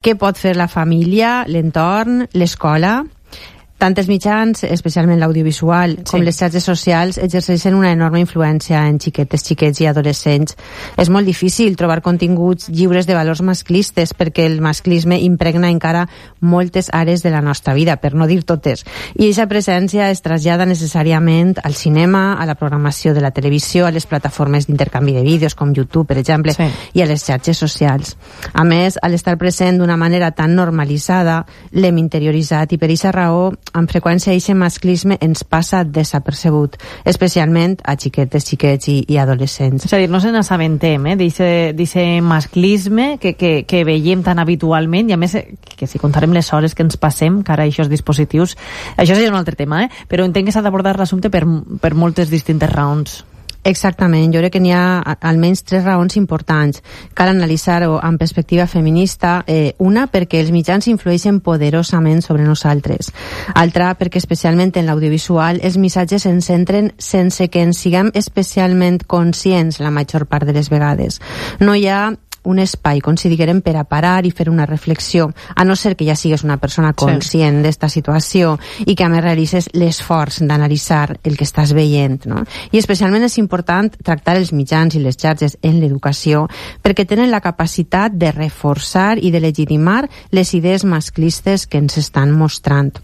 Què pot fer la família, l'entorn, l'escola? Tant els mitjans, especialment l'audiovisual, com les xarxes socials, exerceixen una enorme influència en xiquetes, xiquets i adolescents. És molt difícil trobar continguts lliures de valors masclistes perquè el masclisme impregna encara moltes àrees de la nostra vida, per no dir totes. I aquesta presència es trasllada necessàriament al cinema, a la programació de la televisió, a les plataformes d'intercanvi de vídeos com YouTube, per exemple, i a les xarxes socials. A més, al estar present d'una manera tan normalitzada, l'hem interioritzat i per aquesta raó amb freqüència aquest masclisme ens passa desapercebut, especialment a xiquetes, xiquets i adolescents. És a dir, no se n'assabentem d'aquest masclisme que veiem tan habitualment, i a més que si contarem les hores que ens passem cara a aquests dispositius, això seria un altre tema, però entenc que s'ha d'abordar l'assumpte per moltes distintes raons. Exactament, jo crec que n'hi ha almenys 3 raons importants. Cal analitzar-ho amb perspectiva feminista. Una, perquè els mitjans influeixen poderosament sobre nosaltres. Altra, perquè especialment en l'audiovisual els missatges ens centren sense que ens siguem especialment conscients la major part de les vegades. No hi ha un espai, com si diguérem, per a parar i fer una reflexió, a no ser que ja sigues una persona conscient d'esta situació i que a més realitzes l'esforç d'analitzar el que estàs veient, no? I especialment és important tractar els mitjans i les xarxes en l'educació perquè tenen la capacitat de reforçar i de legitimar les idees masclistes que ens estan mostrant.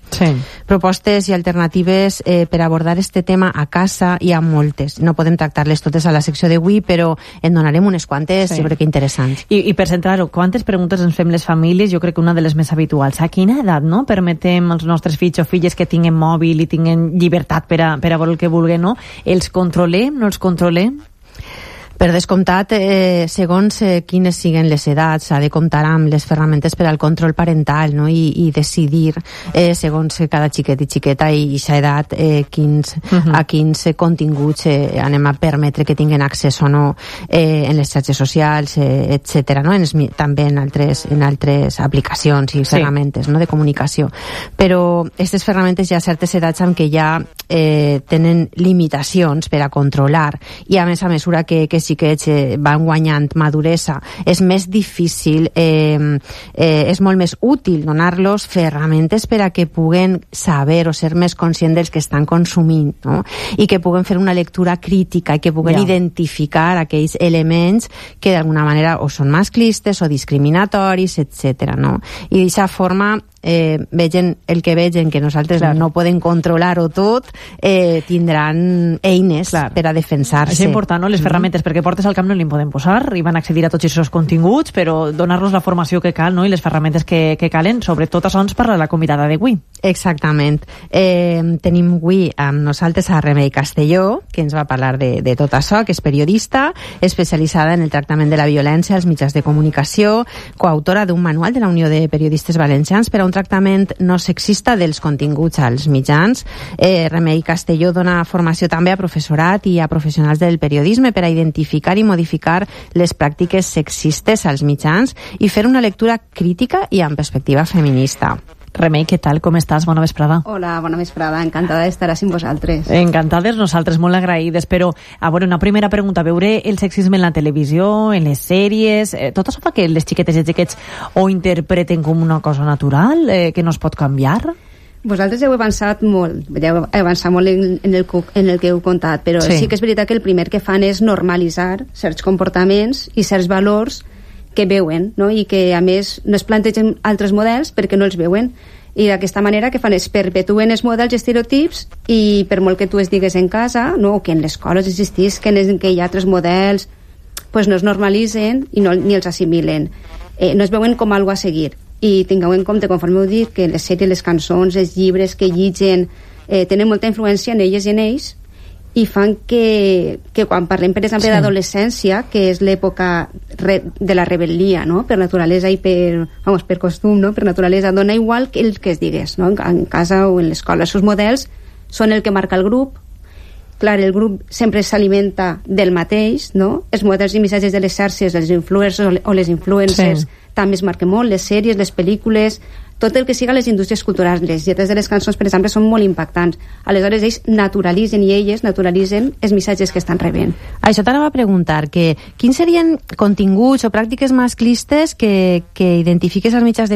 Propostes i alternatives per abordar este tema a casa hi ha moltes. No podem tractar-les totes a la secció d'avui, però en donarem unes quantes, jo crec que interessants. I per centrar-ho, quantes preguntes ens fem les famílies? Jo crec que una de les més habituals. A quina edat permetem als nostres fills o filles que tinguen mòbil i tinguen llibertat per a veure el que vulguin, no? Els controlem, no els controlem? Per descomptat, segons quines siguen les edats, s'ha de comptar amb les ferramentes per al control parental, no? I decidir, segons cada xiquet i xiqueta i aquesta edat, a quins continguts anem a permetre que tinguin accés o no en les xarxes socials, etc. No? També en altres aplicacions i ferramentes, no? De comunicació. Però aquestes ferramentes hi ha certes edats en què ja tenen limitacions per a controlar, i a mesura que xiquets van guanyant maduresa, és més difícil, és molt més útil donar-los ferramentes per a que puguen saber o ser més conscients dels que estan consumint, no? I que puguen fer una lectura crítica i que puguen identificar aquells elements que d'alguna manera o són masclistes o discriminatoris, etc. No? I d'aquesta forma vegen el que vegen, que nosaltres no podem controlar-ho tot, tindran eines per a defensar-se. És important, no? Les ferramentes, perquè portes al camp no li podem posar, i van accedir a tots aquests continguts, però donar-los la formació que cal, no? I les ferramentes que calen, sobretot això ens parla la convidada d'avui. Exactament. Tenim avui amb nosaltres a Remei Castelló, que ens va parlar de tot això, que és periodista, especialitzada en el tractament de la violència als mitjans de comunicació, coautora d'un manual de la Unió de Periodistes Valencians per a un tractament no sexista dels continguts als mitjans. Remei Castelló dona formació també a professorat i a professionals del periodisme per a identificar i modificar les pràctiques sexistes als mitjans i fer una lectura crítica i amb perspectiva feminista. Remei, què tal? Com estàs? Bona vesprada. Hola, bona vesprada. Encantada d'estar així amb vosaltres. Encantades, nosaltres molt agraïdes, però, a veure, una primera pregunta. Veure el sexisme en la televisió, en les sèries, tot això fa que les xiquetes i xiquets ho interpreten com una cosa natural, que no es pot canviar? Vosaltres heu avançat molt, en el que heu contat, però sí que és veritat que el primer que fan és normalitzar certs comportaments i certs valors que veuen, no? I que a més no es plantegen altres models perquè no els veuen, i d'aquesta manera que fan és perpetuen els models i estereotips, i per molt que tu es digues en casa, no? O que en les escoles existís que hi ha altres models, pues no es normalitzen i ni els assimilen, no es veuen com algo a seguir. I tingueu en compte, conforme heu dit, que les sèries, les cançons, els llibres que llitgen tenen molta influència en elles i en ells, i fan que quan parlem, per exemple, d'adolescència, que és l'època de la rebel·lia, no? Per naturalesa i per costum, no? Per naturalesa, dona igual el que es digués, no? En casa o en l'escola. Els seus models són el que marca el grup. Clar, el grup sempre s'alimenta del mateix, no? Els models i missatges de les xarxes, els influencers o les influencers, també es marquen molt, les sèries, les pel·lícules, tot el que siga les indústries culturals. Les lletres de les cançons, per exemple, són molt impactants. Aleshores, ells naturalitzen i elles naturalitzen els missatges que estan rebent. Això t'anava a preguntar, que quins serien continguts o pràctiques masclistes que identifiques als mitjans de